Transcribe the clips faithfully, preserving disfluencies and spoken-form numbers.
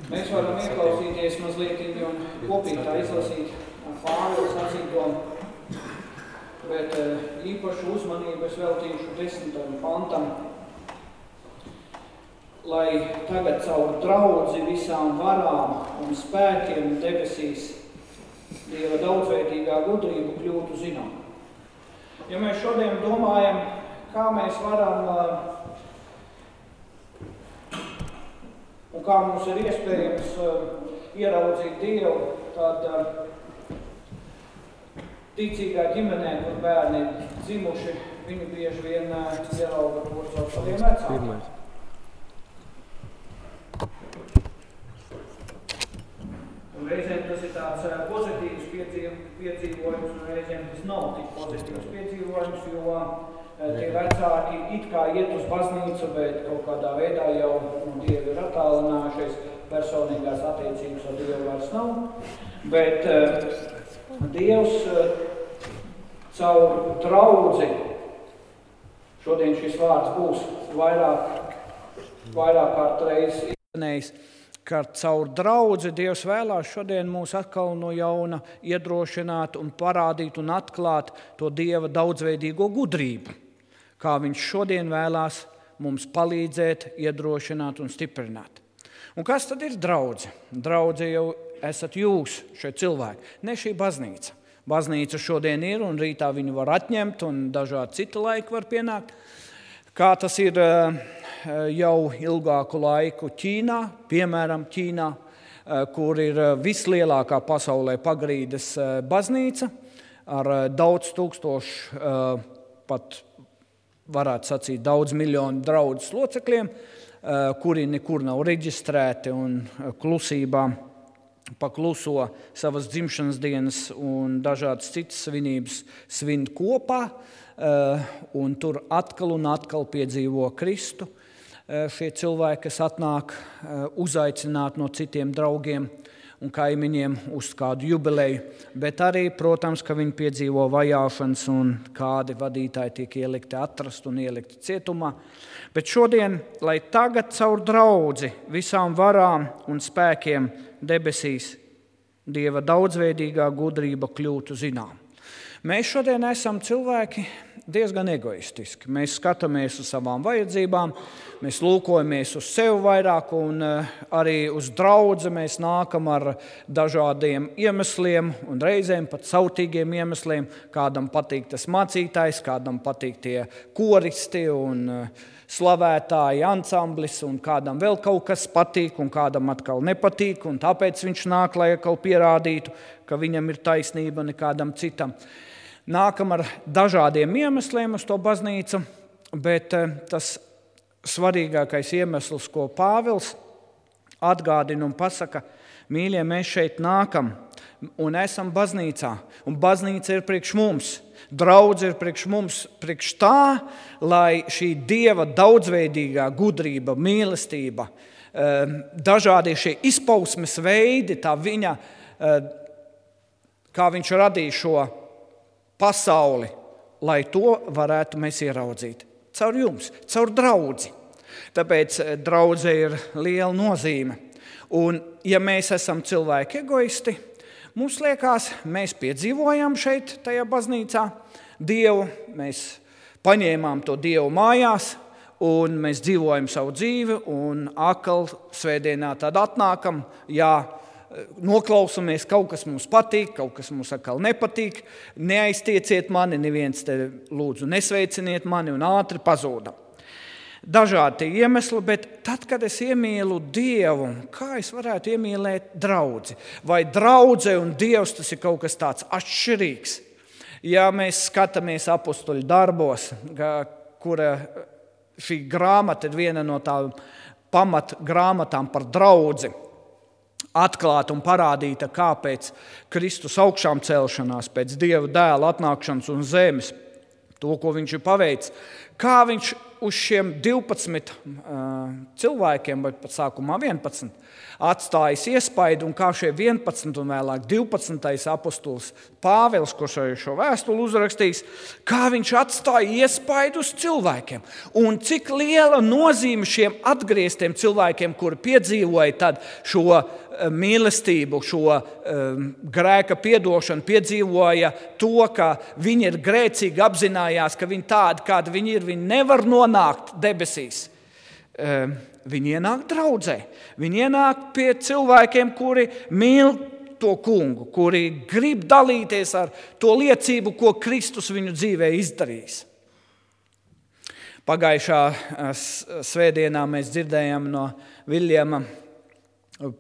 Mēs varam ieklausīties mazliet un kopīgā izlasīt Pāvila sacīto, bet īpašu uzmanību es veltīšu desmitajam pantam, lai tagad caur draudzi visām varām un spēkiem debesīs Dieva daudzveidīgā gudrība kļūtu zinām. Ja mēs šodien domājam, kā mēs varam un kā mums ir iespējams ieraudzīt Dievu, tad ticīgā ģimenē, kur bērni ir dzimuši, viņi bieži vien ierauga to caur saviem vecākiem. Un reizēm tas ir tāds pozitīvs piedzīvojums, un reizēm tas nav tik pozitīvs piedzīvojums, jo tie vecāki it kā iet uz baznīcu, bet kaut kādā veidā jau no Dieva ir attālinājušies, personīgās attiecības ar Dievu vairs nav. Bet uh, Dievs uh, caur draudzi, šodien šis vārds būs vairāk, vairāk kārt reiz izskanējis, ka caur draudzi Dievs vēlās šodien mūs atkal no jauna iedrošināt un parādīt un atklāt to Dieva daudzveidīgo gudrību, kā viņš šodien vēlās mums palīdzēt, iedrošināt un stiprināt. Un kas tad ir draudze? Draudze jau esat jūs, šie cilvēki, ne šī baznīca. Baznīca šodien ir un rītā viņu var atņemt un dažādi citi laiki var pienākt. Kā tas ir jau ilgāku laiku Ķīnā, piemēram Ķīnā, kur ir vislielākā pasaulē Pagrīdes baznīca ar daudz tūkstošu, pat varētu sacīt daudz miljonu draudzes locekļiem, kuri nekur nav reģistrēti un klusībā pakluso savas dzimšanas dienas un dažādas citas svinības svin kopā, un tur atkal un atkal piedzīvo Kristu. Šie cilvēki, kas atnāk uzaicināt no citiem draugiem un kaimiņiem uz kādu jubileju, bet arī, protams, ka viņi piedzīvo vajāšanas un kādi vadītāji tiek ielikti atrast un ielikti cietumā. Bet šodien, lai tagad caur draudzi visām varām un spēkiem debesīs Dieva daudzveidīgā gudrība kļūtu zinām. Mēs šodien esam cilvēki diezgan egoistiski. Mēs skatāmies uz savām vajadzībām, mēs lūkojamies uz sevi vairāk un arī uz draudzi mēs nākam ar dažādiem iemesliem un reizēm pat sautīgiem iemesliem. Kādam patīk tas mācītājs, kādam patīk tie koristi un slavētāji ansamblis un kādam vēl kaut kas patīk un kādam atkal nepatīk un tāpēc viņš nāk, lai atkal pierādītu, ka viņam ir taisnība nekādam citam. Nākam ar dažādiem iemesliem uz to baznīcu, bet tas svarīgākais iemesls, ko Pāvils atgādina un pasaka, mīļie, mēs šeit nākam un esam baznīcā, un baznīca ir priekš mums, draudze ir priekš mums, priekš tā, lai šī Dieva daudzveidīgā gudrība, mīlestība, dažādie šie izpausmes veidi, tā viņa, kā viņš radīja šo pasauli, lai to varētu mēs ieraudzīt. Caur jums, caur draudzi. Tāpēc draudze ir liela nozīme. Un ja mēs esam cilvēki egoisti, mums liekas, mēs piedzīvojam šeit, tajā baznīcā, Dievu, mēs paņēmām to Dievu mājās, un mēs dzīvojam savu dzīvi, un akal svētdienā tad atnākam, jā, noklausamies, kaut kas mums patīk, kaut kas mums atkal nepatīk, neaiztieciet mani, neviens te lūdzu nesveiciniet mani un ātri pazūdam. Dažādi tie iemesli, bet tad, kad es iemīlu Dievu, kā es varētu iemīlēt draudzi? Vai draudze un Dievs tas ir kaut kas tāds atšķirīgs? Ja mēs skatāmies apostoļu darbos, kura šī grāmata ir viena no tām pamat grāmatām par draudzi, atklāta un parādīta, kāpēc Kristus augšām celšanās, pēc Dieva dēla atnākšanas un zemes, to, ko viņš ir paveicis, kā viņš uz šiem divpadsmit uh, cilvēkiem, vai pat sākumā vienpadsmit, atstājis iespaidu, un kā šie vienpadsmit un vēlāk divpadsmitais apostols Pāvils, kurš šo vēstuli uzrakstījis, kā viņš atstāja iespaidu uz cilvēkiem. Un cik liela nozīme šiem atgrieztiem cilvēkiem, kuri piedzīvoja tad šo mīlestību, šo um, grēka piedošanu, piedzīvoja to, ka viņi ir grēcīgi, apzinājās, ka viņi tādi, kādi viņi ir, viņi nevar nonākt debesīs. Um, viņi ienāk draudzē, viņi ienāk pie cilvēkiem, kuri mīl to kungu, kuri grib dalīties ar to liecību, ko Kristus viņu dzīvē izdarījis. Pagājušā svētdienā mēs dzirdējām no Viljama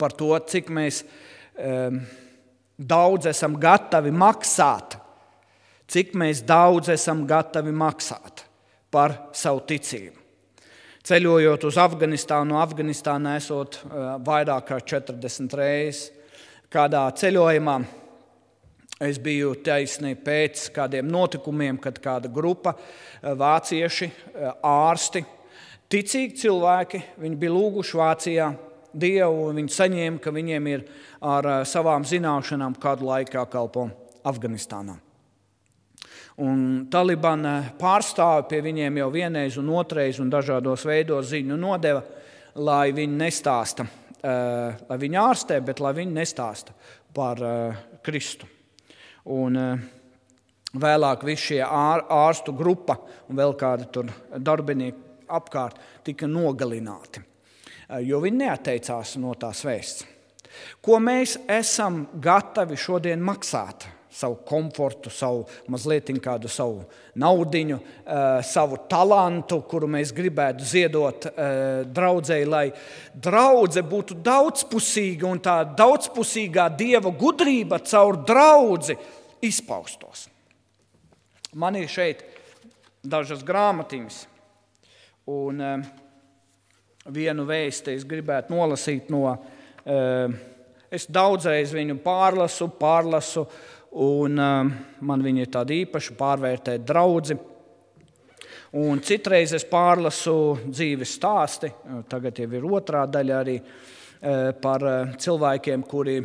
par to, cik mēs um, daudz esam gatavi maksāt, cik mēs daudz esam gatavi maksāt par savu ticību. Ceļojot uz Afganistānu, no Afganistānā esot uh, vairāk kā četrdesmit reizes, kādā ceļojumā es biju taisni pēc kādiem notikumiem, kad kāda grupa uh, vācieši, uh, ārsti, ticīgi cilvēki, viņi bija lūguši Vācijā Dievu, viņi saņēma, ka viņiem ir ar savām zināšanām kādu laiku jākalpo Afganistānā. Un Talibana pārstāvi pie viņiem jau vienreiz un otrais un dažādos veidos ziņu nodeva, lai viņi nestāsta, lai viņi ārstē, bet lai viņi nestāsta par Kristu. Un vēlāk visi šie ārstu grupa un vēl kādi tur darbinieki apkārt tika nogalināti, jo viņi neatteicās no tās vēsts. Ko mēs esam gatavi šodien maksāt? Savu komfortu, savu mazliet kādu savu naudiņu, savu talantu, kuru mēs gribētu ziedot draudzei, lai draudze būtu daudzpusīga un tā daudzpusīgā Dieva gudrība caur draudzi izpaustos. Man ir šeit dažas grāmatiņas, un vienu vēsti es gribētu nolasīt no, es daudzreiz viņu pārlasu, pārlasu, un man viņa ir tāda īpaša pārvērtēt draudzi. Un citreiz es pārlasu dzīves stāsti, tagad jau ir otrā daļa arī par cilvēkiem, kuri,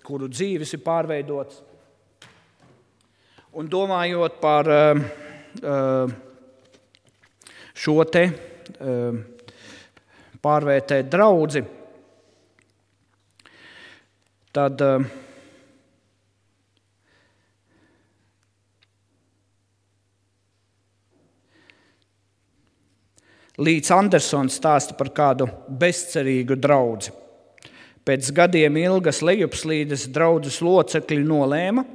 kuru dzīves ir pārveidots. Un domājot par šo te pārvērtēt draudzi, tad Līds Andersons stāsta par kādu bezcerīgu draudzi. Pēc gadiem ilgas lejupslīdes draudzes locekļi nolēma: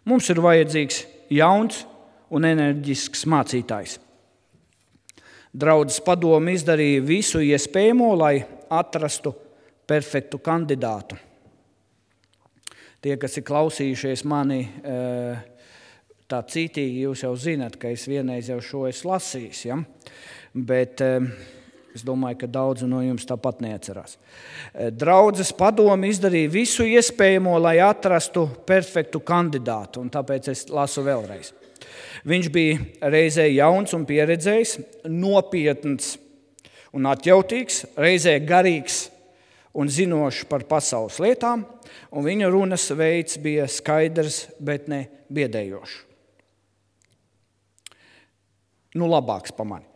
mums ir vajadzīgs jauns un enerģisks mācītājs. Draudzes padome izdarīja visu iespējamo, lai atrastu perfektu kandidātu. Tie, kas ir klausījušies mani tā cītīgi, jūs jau zinat, ka es vienreiz jau šo esmu lasījis, ja? Bet es domāju, ka daudzi no jums tāpat neatcerās. Draudzes padome izdarīja visu iespējamo, lai atrastu perfektu kandidātu, un tāpēc es lasu vēlreiz. Viņš bija reizē jauns un pieredzējis, nopietns un atjautīgs, reizē garīgs un zinošs par pasaules lietām, un viņa runas veids bija skaidrs, bet ne biedējošs. Nu, labāks pa mani.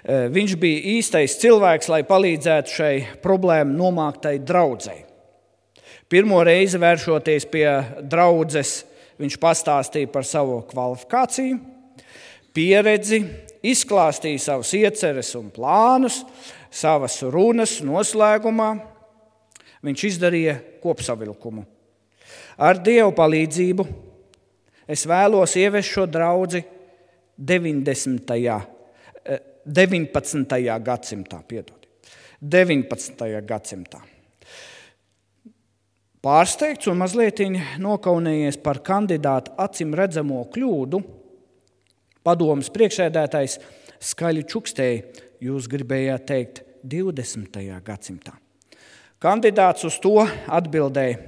Viņš bija īstais cilvēks, lai palīdzētu šai problēmu nomāktai draudzei. Pirmo reizi vēršoties pie draudzes, viņš pastāstīja par savu kvalifikāciju, pieredzi, izklāstīja savus ieceres un plānus, savas runas noslēgumā. Viņš izdarīja kopsavilkumu. Ar Dievu palīdzību es vēlos ievest šo draudzi deviņdesmitajā, deviņpadsmitajā gadsimtā, piedod, deviņpadsmitajā gadsimtā. Pārsteigts un mazliet nokaunējies par kandidātu acim redzamo kļūdu, padomes priekšsēdētājs skaļi čukstēja: jūs gribējāt teikt divdesmitajā gadsimtā. Kandidāts uz to atbildēja: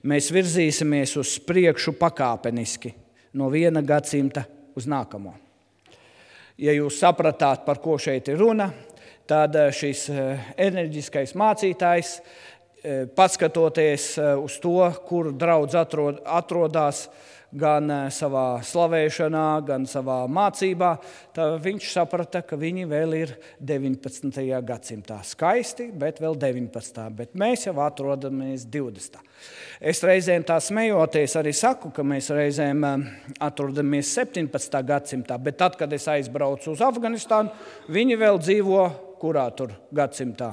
mēs virzīsimies uz priekšu pakāpeniski no viena gadsimta uz nākamo. Ja jūs sapratāt, par ko šeit ir runa, tad šis enerģiskais mācītājs, paskatoties uz to, kur draudz atrod, atrodās gan savā slavēšanā, gan savā mācībā, tad viņš saprata, ka viņi vēl ir deviņpadsmitajā gadsimtā. Skaisti, bet vēl deviņpadsmitā. Bet mēs jau atrodamies divdesmitā. Es reizēm tā smejoties arī saku, ka mēs reizēm atrodamies septiņpadsmitā gadsimtā, bet tad, kad es aizbraucu uz Afganistānu, viņi vēl dzīvo kurā tur gadsimtā?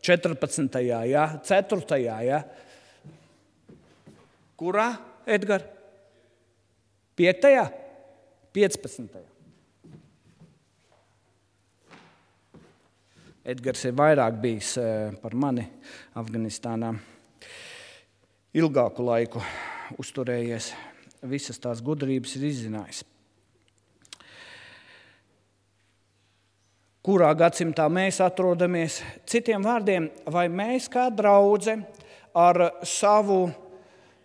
četrpadsmitajā, ja? ceturtajā, ja? Kurā, Edgar? Piektajā? piecpadsmitajā. Edgars ir vairāk bijis par mani Afganistānā. Ilgāku laiku uzturējies, visas tās gudrības ir izzinājis. Kurā gadsimtā mēs atrodamies? Citiem vārdiem, vai mēs kā draudze ar savu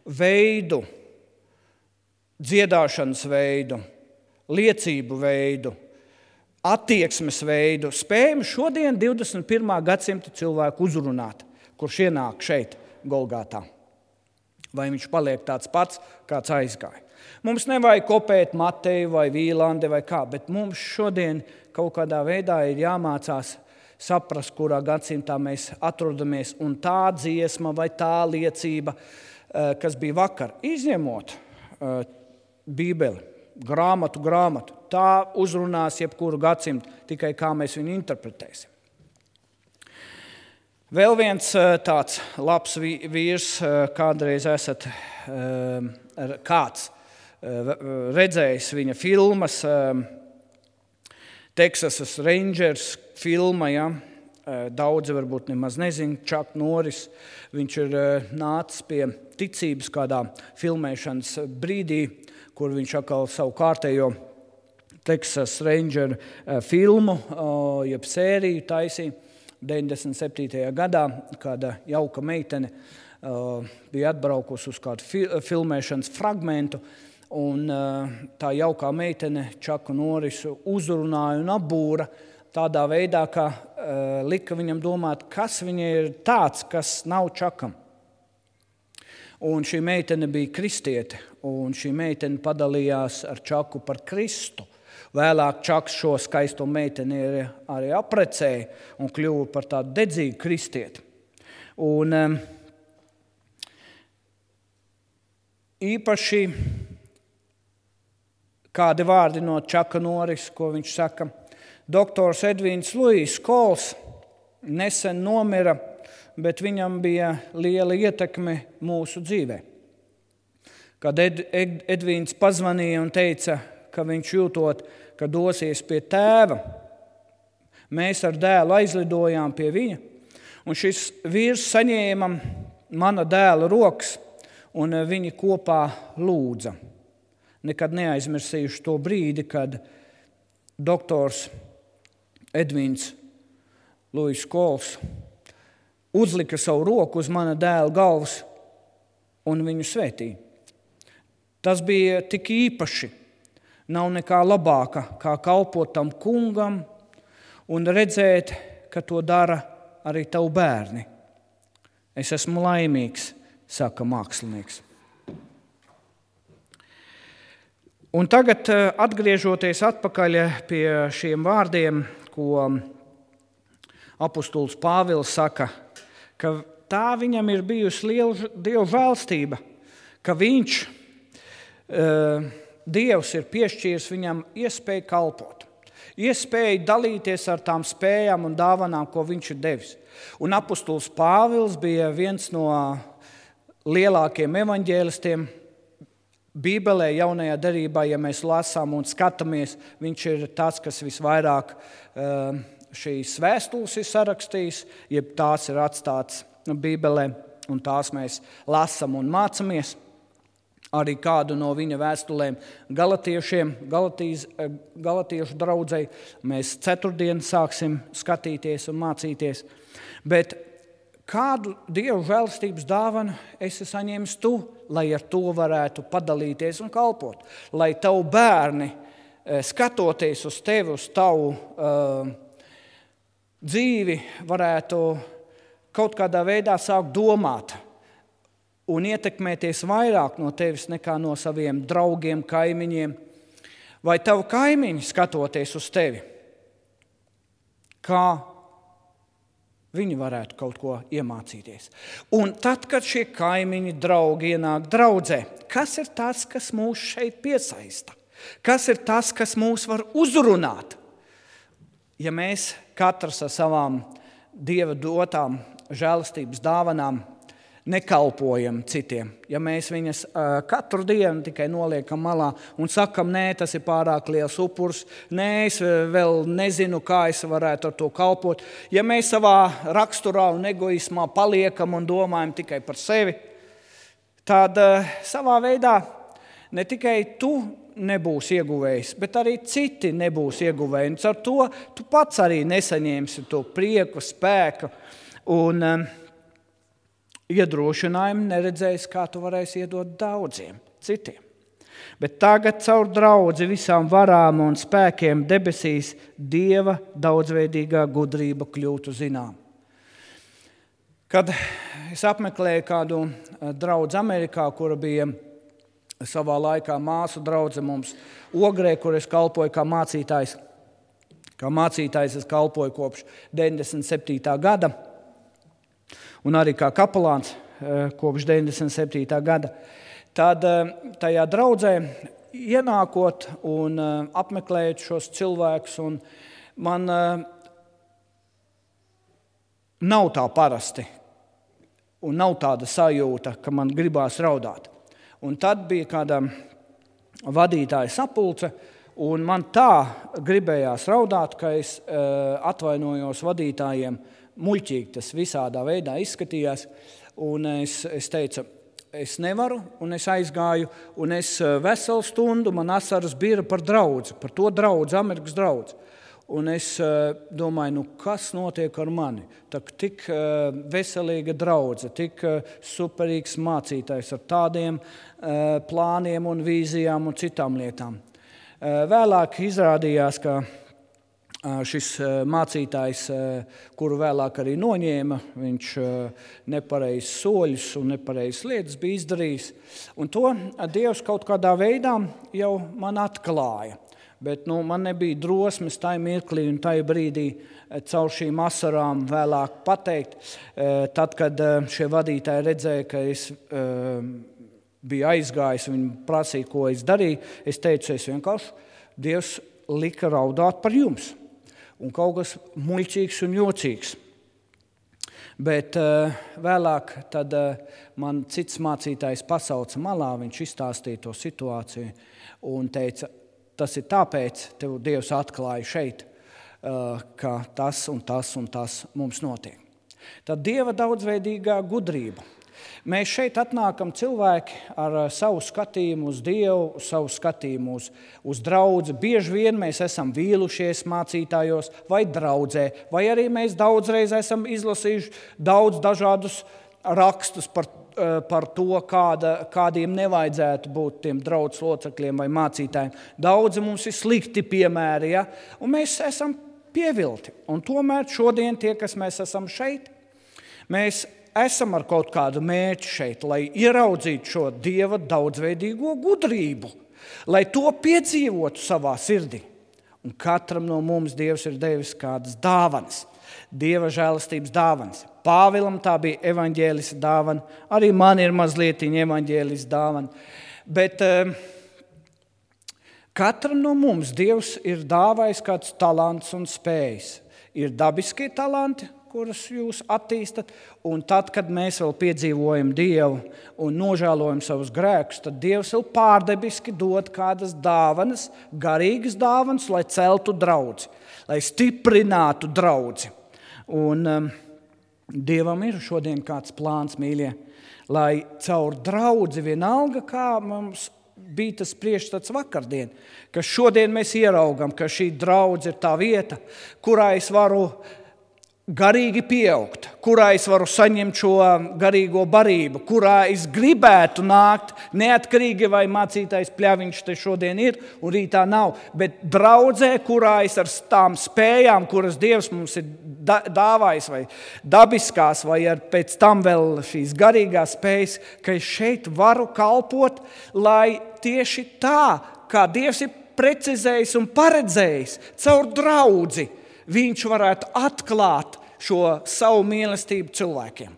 veidu, dziedāšanas veidu, liecību veidu, attieksmes veidu spējam šodien divdesmit pirmā gadsimta cilvēku uzrunāt, kurš ienāk šeit Golgātā? Vai viņš paliek tāds pats, kāds aizgāja? Mums nevajag kopēt Mateju vai Vīlandi vai kā, bet mums šodien kaut kādā veidā ir jāmācās saprast, kurā gadsimtā mēs atrodamies, un tā dziesma vai tā liecība, kas bija vakar, izņemot uh, Bībeli, grāmatu, grāmatu, tā uzrunās jebkuru gadsimtu, tikai kā mēs viņu interpretēsim. Vēl viens uh, tāds labs vīrs, uh, kādreiz esat uh, kāds uh, redzējis viņa filmas, uh, Texasas Rangers filma, ja? Daudzi varbūt nemaz nezin, Chuck Norris, viņš ir nācis pie ticības kādā filmēšanas brīdī, kur viņš atkal savu kārtējo Texas Ranger filmu, jeb sēriju taisīja deviņdesmit septītajā gadā, kāda jauka meitene bija atbraukusi uz kādu filmēšanas fragmentu, un tā jaukā meitene Chucku Norrisu uzrunāja un apbūra tādā veidā, ka uh, lika viņam domāt, kas viņa ir tāds, kas nav Čakam. Un šī meitene bija kristiete, un šī meitene padalījās ar Čaku par Kristu. Vēlāk Čaks šo skaisto meiteni arī aprecēja un kļuva par tādu dedzīgu kristieti. Un um, īpaši kādi vārdi no Čaka Norris, ko viņš saka. Doktors Edvīns Luijs Kols nesen nomira, bet viņam bija liela ietekme mūsu dzīvē. Kad Ed, Ed, Edvīns pazvanīja un teica, ka viņš jūtot, ka dosies pie tēva, mēs ar dēlu aizlidojām pie viņa, un šis vīrs saņēma mana dēla rokas, un viņi kopā lūdza. Nekad neaizmirsījuši to brīdi, kad doktors Edvīns Luijs Kols uzlika savu roku uz mana dēla galvas un viņu svētīja. Tas bija tik īpaši. Nav nekā labāka, kā kalpot tam kungam un redzēt, ka to dara arī tavu bērni. Es esmu laimīgs, saka mākslinieks. Un tagad, atgriežoties atpakaļ pie šiem vārdiem, ko apustulis Pāvils saka, ka tā viņam ir bijusi liela Dieva žēlstība, ka viņš, Dievs ir piešķīris viņam iespēju kalpot, iespēju dalīties ar tām spējām un dāvanām, ko viņš ir devis. Un apustulis Pāvils bija viens no lielākiem evaņģēlistiem Bībelē, jaunajā derībā, ja mēs lasām un skatāmies, viņš ir tas, kas visvairāk uh, šīs vēstules ir sarakstījis, jeb tās ir atstātas Bībelē, un tās mēs lasām un mācamies. Arī kādu no viņa vēstulēm galatiešiem, Galatijas, galatiešu draudzei, mēs ceturtdien sāksim skatīties un mācīties. Bet kādu Dievu žēlstības dāvanu esi saņēmis tu, lai ar to varētu padalīties un kalpot? Lai tavu bērni skatoties uz tevi, uz tavu uh, dzīvi, varētu kaut kādā veidā sākt domāt un ietekmēties vairāk no tevis nekā no saviem draugiem, kaimiņiem, vai tavu kaimiņi skatoties uz tevi, kā viņi varētu kaut ko iemācīties. Un tad, kad šie kaimiņi, draugi ienāk draudzē, kas ir tas, kas mūs šeit piesaista? Kas ir tas, kas mūs var uzrunāt? Ja mēs katrs ar savām Dieva dotām žēlastības dāvanām nekalpojam citiem, ja mēs viņas uh, katru dienu tikai noliekam malā un sakam, nē, tas ir pārāk liels upurs, nē, es vēl nezinu, kā es varētu ar to kalpot. Ja mēs savā raksturā un egoismā paliekam un domājam tikai par sevi, tad uh, savā veidā ne tikai tu nebūs ieguvējis, bet arī citi nebūs ieguvēji. Un ar to tu pats arī nesaņemsi to prieku, spēku un um, iedrošinājumu, neredzējis, kā tu varēsi iedot daudziem citiem. Bet tagad caur draudzi visām varām un spēkiem debesīs Dieva daudzveidīgā gudrība kļūtu zinām. Kad es apmeklēju kādu draudzi Amerikā, kura bija savā laikā māsu draudze mums Ogrē, kur es kalpoju kā mācītājs, kā mācītājs es kalpoju kopš deviņdesmit septītā gada, un arī kā kapelāns kopš deviņdesmit septītā gada, tad tajā draudzē ienākot un apmeklējot šos cilvēkus, un man nav tā parasti, un nav tāda sajūta, ka man gribās raudāt. Un tad bija kāda vadītāja sapulce, un man tā gribējās raudāt, ka es atvainojos vadītājiem. Muļķīgi tas visādā veidā izskatījās, un es, es teicu, es nevaru, un es aizgāju, un es veselu stundu, man asaras bija par draudzi, par to draudzi, Amerikas draudzi. Un es domāju, nu kas notiek ar mani? Tak, tik veselīga draudze, tik superīgs mācītājs ar tādiem plāniem un vīzijām un citām lietām. Vēlāk izrādījās, ka šis mācītājs, kuru vēlāk arī noņēma, viņš nepareizs soļus un nepareizs lietas bija izdarījis. Un to Dievs kaut kādā veidā jau man atklāja. Bet nu, man nebija drosmes tajā mirklī un tajā brīdī caur šīm asarām vēlāk pateikt. Tad, kad šie vadītāji redzēja, ka es biju aizgājis, viņi prasīja, ko es darīju, es teicu, es vienkārši Dievs lika raudāt par jums. Un kaut kas muļķīgs un jocīgs. Bet uh, vēlāk tad uh, man cits mācītājs pasauca malā, viņš izstāstīja to situāciju un teica, tas ir tāpēc, tev Dievs atklāja šeit, uh, ka tas un tas un tas mums notiek. Tad Dieva daudzveidīgā gudrība. Mēs šeit atnākam cilvēki ar savu skatījumu uz Dievu, savu skatījumu uz, uz draudzi. Bieži vien mēs esam vīlušies mācītājos vai draudzē, vai arī mēs daudzreiz esam izlasījuši daudz dažādus rakstus par, par to, kāda, kādiem nevajadzētu būt tiem draudzes locekļiem vai mācītājiem. Daudzi mums ir slikti piemēri, ja? Un mēs esam pievilti. Un tomēr šodien tie, kas mēs esam šeit, mēs esam ar kaut kādu mērķi šeit, lai ieraudzītu šo Dieva daudzveidīgo gudrību, lai to piedzīvotu savā sirdī. Un katram no mums Dievs ir devis kādas dāvanas, Dieva žēlastības dāvanas. Pāvilam tā bija evaņģēlis dāvana, arī man ir mazlietiņa evaņģēlis dāvana. Bet um, katram no mums Dievs ir dāvājis kāds talants un spējas. Ir dabiskie talanti, kuras jūs attīstat, un tad, kad mēs vēl piedzīvojam Dievu un nožēlojam savus grēkus, tad Dievs vēl pārdebiski dod kādas dāvanas, garīgas dāvanas, lai celtu draudzi, lai stiprinātu draudzi. Un um, Dievam ir šodien kāds plāns, mīļie, lai caur draudzi vienalga, kā mums bija tas priekšstats vakardien, ka šodien mēs ieraugam, ka šī draudze ir tā vieta, kurā es varu garīgi pieaugt, kurā es varu saņemt šo garīgo barību, kurā es gribētu nākt, neatkarīgi vai mācītājs Pļaviņš te šodien ir un rītā nav, bet draudzē, kurā es ar tām spējām, kuras Dievs mums ir dāvājis, vai dabiskās, vai ar pēc tam vēl šīs garīgās spējas, ka es šeit varu kalpot, lai tieši tā, kā Dievs ir precizējis un paredzējis caur draudzi, viņš varētu atklāt šo savu mīlestību cilvēkiem,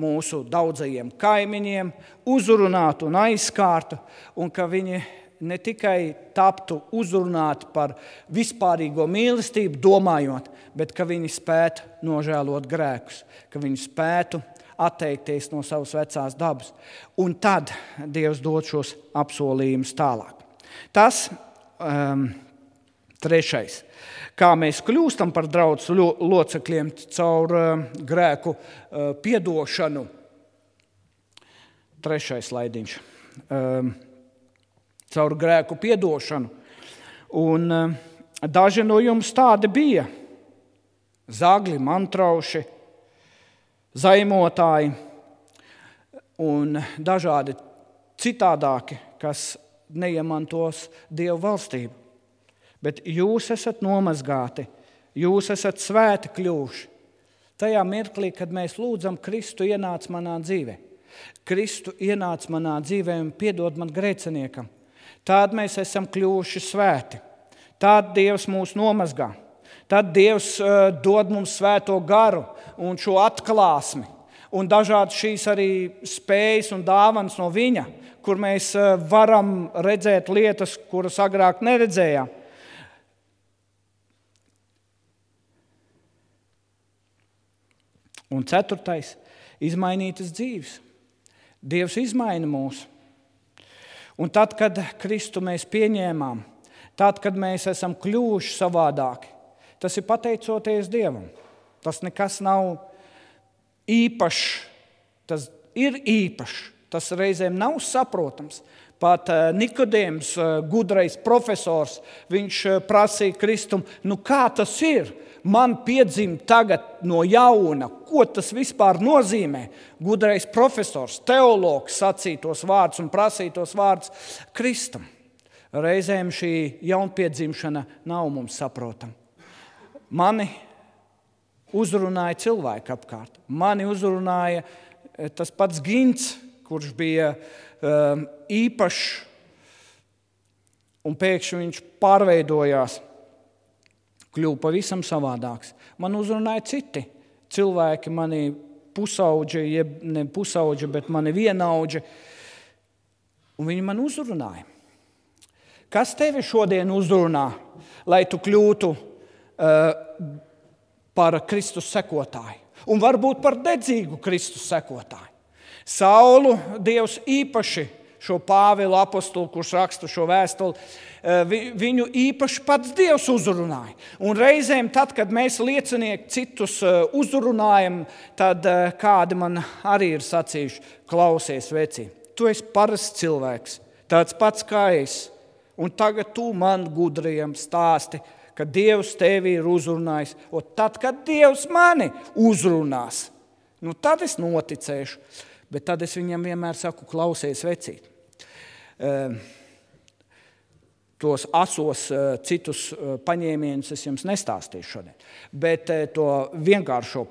mūsu daudzajiem kaimiņiem, uzrunāt un aizskārtu, un ka viņi ne tikai taptu uzrunāti par vispārīgo mīlestību, domājot, bet ka viņi spētu nožēlot grēkus, ka viņi spētu atteikties no savas vecās dabas. Un tad Dievs dod šos apsolījumus tālāk. Tas um, trešais. Kā mēs kļūstam par draudzes locekļiem caur uh, grēku uh, piedošanu. Trešais slaidiņš. Uh, caur grēku piedošanu. Un uh, daži no jums tādi bija. Zagļi, mantrauši, zaimotāji un dažādi citādāki, kas neiemantos Dievu valstību. Bet jūs esat nomazgāti, jūs esat svēti kļuvuši. Tajā mirklī, kad mēs lūdzam, Kristu ienāc manā dzīvē. Kristu ienāc manā dzīvē un piedod man grēciniekam. Tād mēs esam kļuvuši svēti. Tād Dievs mūs nomazgā. Tad Dievs uh, dod mums svēto garu un šo atklāsmi. Un dažādi šīs arī spējas un dāvanas no viņa, kur mēs uh, varam redzēt lietas, kuras agrāk neredzējām. Un ceturtais – izmainītas dzīves. Dievs izmaina mūs. Un tad, kad Kristu mēs pieņēmām, tad, kad mēs esam kļuvuši savādāki, tas ir pateicoties Dievam. Tas nekas nav īpašs, tas ir īpašs, tas reizēm nav saprotams. Pat Nikodēms, gudrais profesors, viņš prasīja Kristum, nu kā tas ir? Man piedzimt tagad no jauna, ko tas vispār nozīmē? Gudrais profesors, teologs sacīja tos vārdus un prasīja tos vārdus Kristum. Reizēm šī jaunpiedzimšana nav mums saprotama. Mani uzrunāja cilvēki apkārt. Mani uzrunāja tas pats Gints, kurš bija um, īpašs, un pēkšņi viņš pārveidojās. Kļuva pavisam savādāks. Man uzrunāja citi cilvēki, mani pusauģi, jeb ne pusauģi, bet mani vienaudži, un viņi man uzrunāja. Kas tevi šodien uzrunā, lai tu kļūtu uh, par Kristus sekotāju? Un varbūt par dedzīgu Kristus sekotāju. Saulu Dievs īpaši šo Pāvilu apostulu, kurš raksta šo vēstuli, viņu īpaši pats Dievs uzrunāja. Un reizēm tad, kad mēs liecinieki citus uzrunājam, tad kādi man arī ir sacījuši, klausies veci, tu esi parasts cilvēks, tāds pats kā es, un tagad tu man gudrajam stāsti, ka Dievs tevi ir uzrunājis, un tad, kad Dievs mani uzrunās, nu tad es noticēšu, bet tad es viņam vienmēr saku, klausies vecīt. Tos asos citus paņēmienus es jums nestāstīšu šodien, bet to vienkāršo,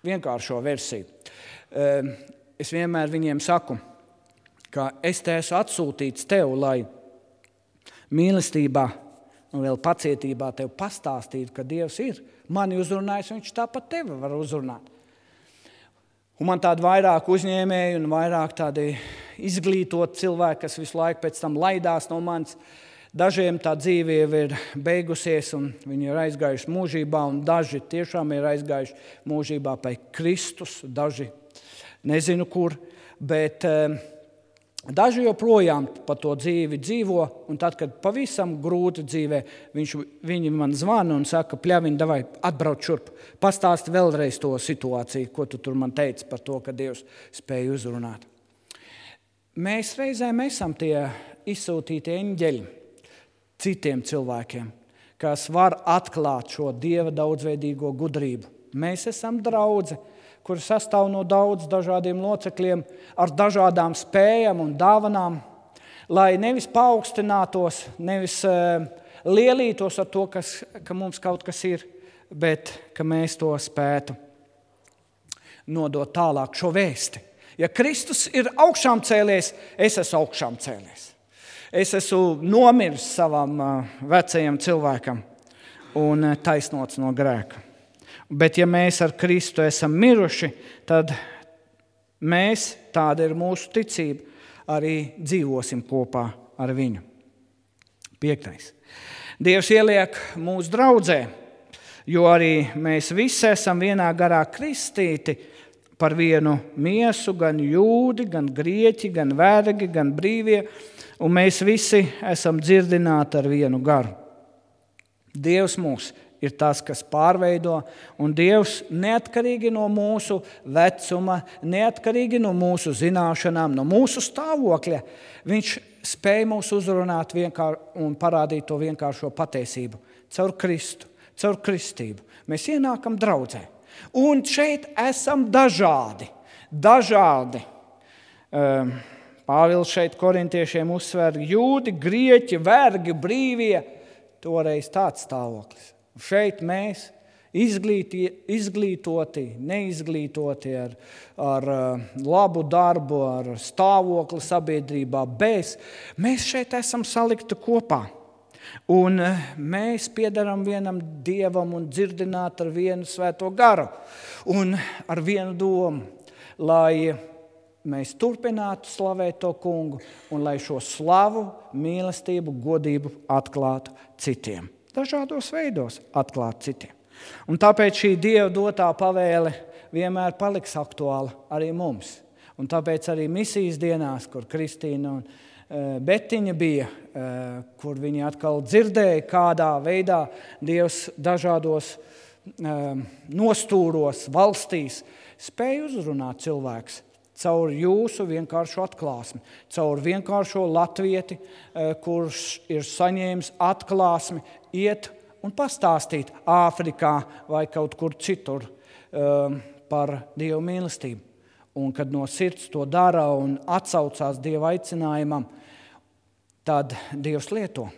vienkāršo versiju. Es vienmēr viņiem saku, ka es te esmu atsūtīts tev, lai mīlestībā un vēl pacietībā tev pastāstītu, ka Dievs ir mani uzrunājis, un viņš tāpat tevi var uzrunāt. Un man tādi vairāk uzņēmēji un vairāk tādi izglītot cilvēki, kas visu laiku pēc tam laidās no manis. Dažiem tā dzīve jau ir beigusies un viņi ir aizgājuši mūžībā, un daži tiešām ir aizgājuši mūžībā pie Kristus, daži nezinu kur, bet eh, daži joprojām pa to dzīvi dzīvo, un tad, kad pavisam grūti dzīvē, viņš, viņi man zvana un saka, Pļaviņ, davai atbrauc šurp, pastāsti vēlreiz to situāciju, ko tu tur man teici par to, ka Dievs spēja uzrunāt. Mēs reizēm esam tie izsūtīti eņģeļi citiem cilvēkiem, kas var atklāt šo Dieva daudzveidīgo gudrību Mēs esam draudze, kur sastāv no daudz dažādiem locekļiem ar dažādām spējām un dāvanām, lai nevis paaugstinātos, nevis uh, lielītos ar to, kas, ka mums kaut kas ir, bet ka mēs to spētu nodot tālāk šo vēsti. Ja Kristus ir augšām cēlies, es esmu augšām cēlies. Es esmu nomiris savam uh, vecajam cilvēkam un uh, taisnots no grēka. Bet ja mēs ar Kristu esam miruši, tad mēs, tāda ir mūsu ticība, arī dzīvosim kopā ar viņu. Piektais. Dievs ieliek mūsu draudzē, jo arī mēs visi esam vienā garā kristīti par vienu miesu, gan jūdi, gan grieķi, gan vergi, gan brīvie, un mēs visi esam dzirdināti ar vienu garu. Dievs mūs ir tas, kas pārveido, un Dievs neatkarīgi no mūsu vecuma, neatkarīgi no mūsu zināšanām, no mūsu stāvokļa, viņš spēj mūs uzrunāt vienkār, un parādīt to vienkāršo patiesību. Caur Kristu, caur kristību. Mēs ienākam draudzē. Un šeit esam dažādi. Dažādi. Pāvils šeit korintiešiem uzsver jūdi, grieķi, vergi, brīvie. Toreiz tāds stāvoklis. Šeit mēs izglīti, izglītoti, neizglītoti ar, ar labu darbu, ar stāvokli sabiedrībā, bez. Mēs šeit esam salikti kopā. Un mēs piedaram vienam Dievam un dzirdināt ar vienu svēto garu un ar vienu domu, lai mēs turpinātu slavēt to kungu un lai šo slavu, mīlestību, godību atklātu citiem. Dažādos veidos atklāt citiem. Un tāpēc šī Dieva dotā pavēle vienmēr paliks aktuāla arī mums. Un tāpēc arī misijas dienās, kur Kristīna un uh, Betiņa bija, uh, kur viņi atkal dzirdēja, kādā veidā Dievs dažādos uh, nostūros, valstīs spēja uzrunāt cilvēks caur jūsu vienkāršo atklāsmi, caur vienkāršo latvieti, kurš ir saņēmis atklāsmi, iet un pastāstīt Āfrikā vai kaut kur citur um, par Dieva mīlestību. Un kad no sirds to dara un atsaucās Dieva aicinājumam, tad Dievs lieto.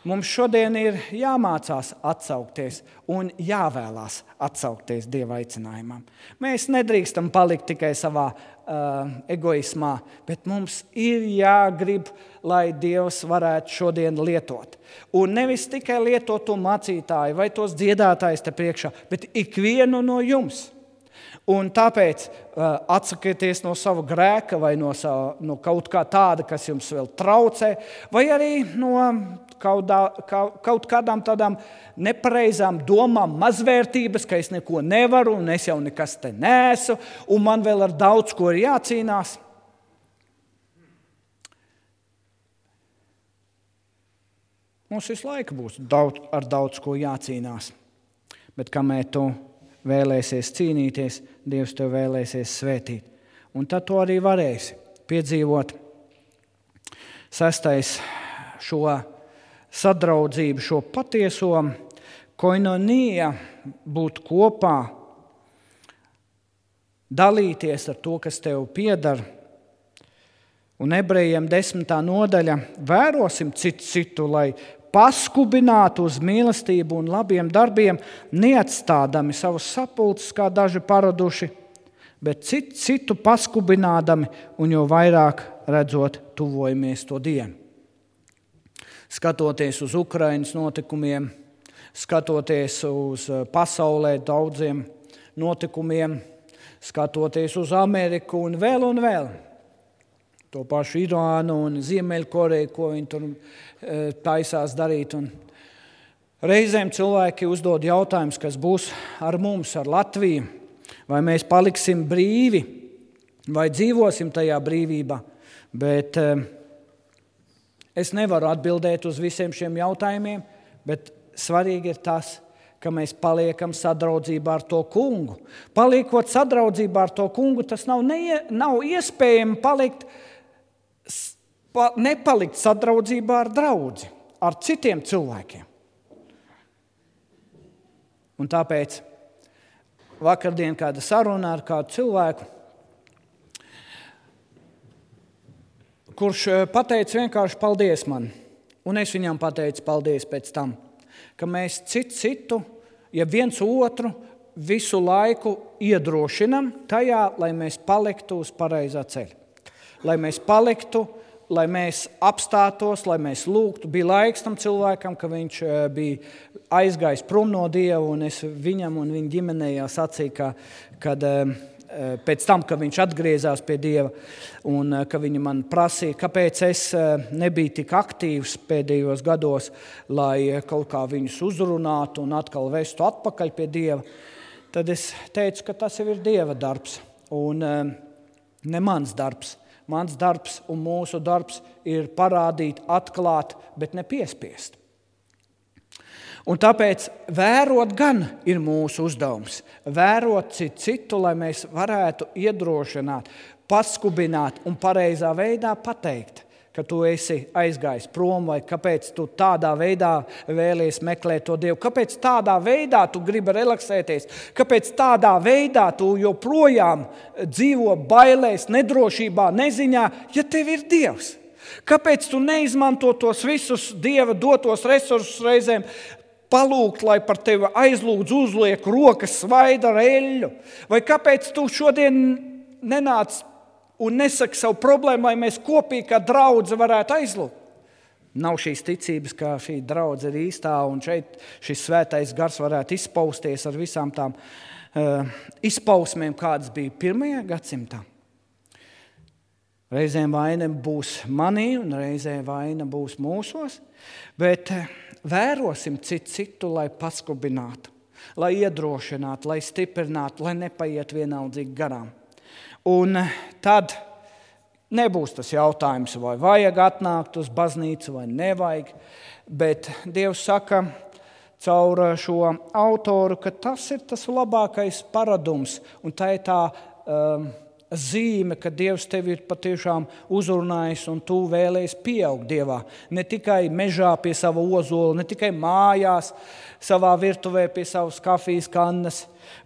Mums šodien ir jāmācās atsaukties un jāvēlās atsaukties Dieva aicinājumam. Mēs nedrīkstam palikt tikai savā uh, egoismā, bet mums ir jāgrib, lai Dievs varētu šodien lietot. Un nevis tikai lietot to mācītāju vai tos dziedātājus te priekšā, bet ikvienu no jums. Un tāpēc uh, atsakieties no sava grēka vai no, sava, no kaut kā tāda, kas jums vēl traucē, vai arī no kaut, kaut, kaut kādām tādām nepareizām domām, mazvērtības, ka es neko nevaru un es jau nekas te neesmu, un man vēl ar daudz ko ir jācīnās. Mums visu laiku būs daudz, ar daudz ko jācīnās, bet kamēr tu vēlēsies cīnīties, Dievs tev vēlēsies svētīt. Un tad to arī varēsi piedzīvot. Sestais, šo sadraudzību, šo patieso koinonija, būt kopā, dalīties ar to, kas tev piedar. Un ebrejiem desmitā nodaļa, vērosim citu citu, lai paskubinātu uz mīlestību un labiem darbiem, neatstādami savus sapulces, kā daži paraduši, bet citu, citu paskubinādami un jau vairāk redzot tuvojamies to dienu. Skatoties uz Ukrainas notikumiem, skatoties uz pasaulē daudziem notikumiem, skatoties uz Ameriku un vēl un vēl, to pašu Irānu un Ziemeļkoreju, ko viņi tur e, taisās darīt. Un reizēm cilvēki uzdod jautājumus, kas būs ar mums, ar Latviju. Vai mēs paliksim brīvi, vai dzīvosim tajā brīvībā. Bet e, es nevaru atbildēt uz visiem šiem jautājumiem, bet svarīgi ir tas, ka mēs paliekam sadraudzībā ar to kungu. Paliekot sadraudzībā ar to kungu, tas nav, neie, nav iespējami palikt nepalikt sadraudzībā ar draudzi, ar citiem cilvēkiem. Un tāpēc vakardien kāda saruna ar kādu cilvēku, kurš pateica vienkārši paldies man. Un es viņam pateicu paldies pēc tam, ka mēs citu citu, ja viens otru visu laiku iedrošinam tajā, lai mēs paliktu uz pareizā ceļa. Lai mēs paliktu, lai mēs apstātos, lai mēs lūgtu. Bija laiks tam cilvēkam, ka viņš bija aizgājis prom no Dieva, un es viņam un viņa ģimenei jau sacīju, ka, kad pēc tam, kad viņš atgriezās pie Dieva, un ka viņi man prasīja, kāpēc es nebiju tik aktīvs pēdējos gados, lai kaut kā viņus uzrunātu un atkal vestu atpakaļ pie Dieva, tad es teicu, ka tas jau ir Dieva darbs un ne mans darbs. Mans darbs un mūsu darbs ir parādīt, atklāt, bet ne piespiest. Un tāpēc vērot gan ir mūsu uzdevums. Vērot citu citu, lai mēs varētu iedrošināt, paskubināt un pareizā veidā pateikt, ka tu esi aizgājis prom vai kāpēc tu tādā veidā vēlies meklēt to Dievu, kāpēc tādā veidā tu gribi relaksēties, kāpēc tādā veidā tu joprojām dzīvo bailēs, nedrošībā, neziņā, ja tev ir Dievs. Kāpēc tu neizmanto tos visus Dieva dotos resursus reizēm, palūgt, lai par tevi aizlūdz, uzliek rokas, svaida ar eļļu? Vai kāpēc tu šodien nenāc un nesaki savu problēmu, lai mēs kopīgi kā draudze varētu aizlūgt? Nav šīs ticības, ka šī draudze ir īstā, un šeit šis svētais gars varētu izpausties ar visām tām uh, izpausmēm, kādas bija pirmajā gadsimtā. Reizēm vaina būs manī, un reizēm vaina būs mūsos, bet vērosim citu citu, lai paskubinātu, lai iedrošinātu, lai stiprinātu, lai nepaiet vienaldzīgi garām. Un tad nebūs tas jautājums, vai vajag atnākt uz baznīcu vai nevajag, bet Dievs saka caur šo autoru, ka tas ir tas labākais paradums, un tā ir tā um, zīme, ka Dievs tevi ir patiešām uzrunājis un tu vēlies pieaugt Dievā. Ne tikai mežā pie sava ozola, ne tikai mājās, savā virtuvē pie savas kafijas kannas,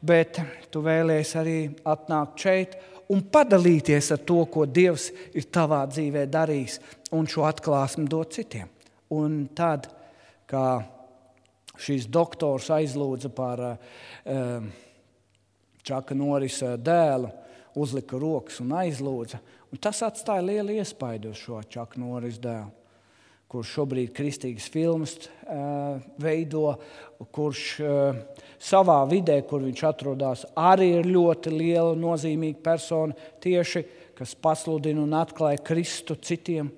bet tu vēlies arī atnākt šeit un padalīties ar to, ko Dievs ir tavā dzīvē darījis, un šo atklāsmi dot citiem. Un tad, kā šīs doktors aizlūdza par uh, Čaka Norisa dēlu, uzlika rokas un aizlūdza. Un tas atstāja lielu iespaidu uz šo Čaka Norisa dēlu, kurš šobrīd kristīgas filmas uh, veido, kurš uh, savā vidē, kur viņš atrodas, arī ir ļoti liela, nozīmīga persona tieši, kas pasludina un atklāja Kristu citiem.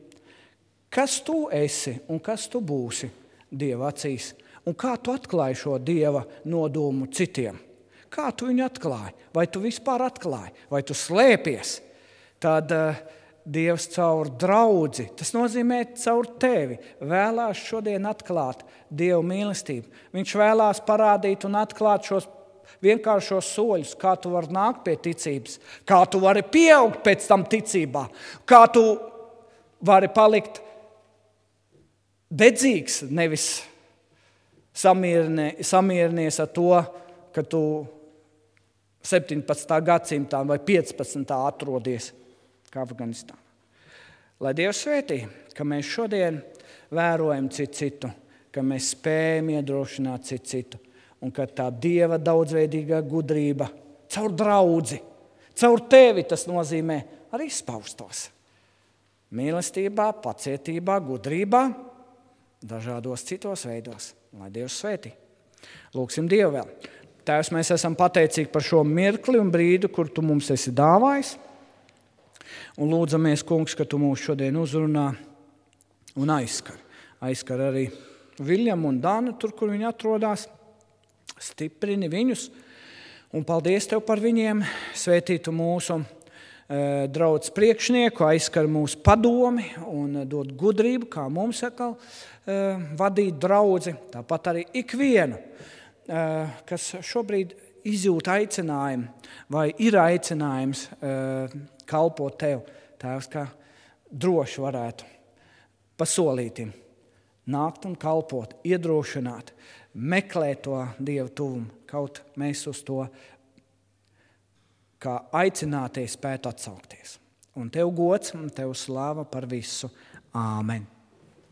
Kas tu esi un kas tu būsi Dieva acīs? Un kā tu atklāji šo Dieva nodomu citiem? Kā tu viņu atklāji? Vai tu vispār atklāji? Vai tu slēpies? Tad uh, Dievs caur draudzi, tas nozīmē caur tevi, vēlās šodien atklāt Dieva mīlestību. Viņš vēlās parādīt un atklāt šos vienkāršos soļus, kā tu vari nākt pie ticības, kā tu vari pieaugt pēc tam ticībā, kā tu vari palikt dedzīgs, nevis samiernie, samierinies ar to, ka tu septiņpadsmitā gadsimtā vai piecpadsmitā atrodies kā Afganistānā. Lai Dievs svētī, ka mēs šodien vērojam citu citu, ka mēs spējam iedrošināt citu citu, un ka tā Dieva daudzveidīgā gudrība caur draudzi, caur tevi tas nozīmē arī izpaustos. Mīlestībā, pacietībā, gudrībā, dažādos citos veidos. Lai Dievs svētī. Lūksim Dievu vēl. Tēvs, mēs esam pateicīgi par šo mirkli un brīdi, kur tu mums esi dāvājis. Un lūdzamies, Kungs, ka tu mūs šodien uzrunā un aizskar. Aizskar arī Viļamu un Dānu, tur, kur viņi atrodas. Stiprini viņus. Un paldies Tev par viņiem. Svētītu mūsu e, draudz priekšnieku, aizskar mūsu padomi un dod gudrību, kā mums atkal e, vadīt draudzi. Tāpat arī ikvienu, kas šobrīd izjūt aicinājumu vai ir aicinājums kalpot Tev, Tēvs, kā droši varētu pasolītim nākt un kalpot, iedrošināt, meklēt to Dieva tuvumu, kaut mēs uz to ka aicinātie spētu atsaukties. Un tev gods un tev slāva par visu. Āmen.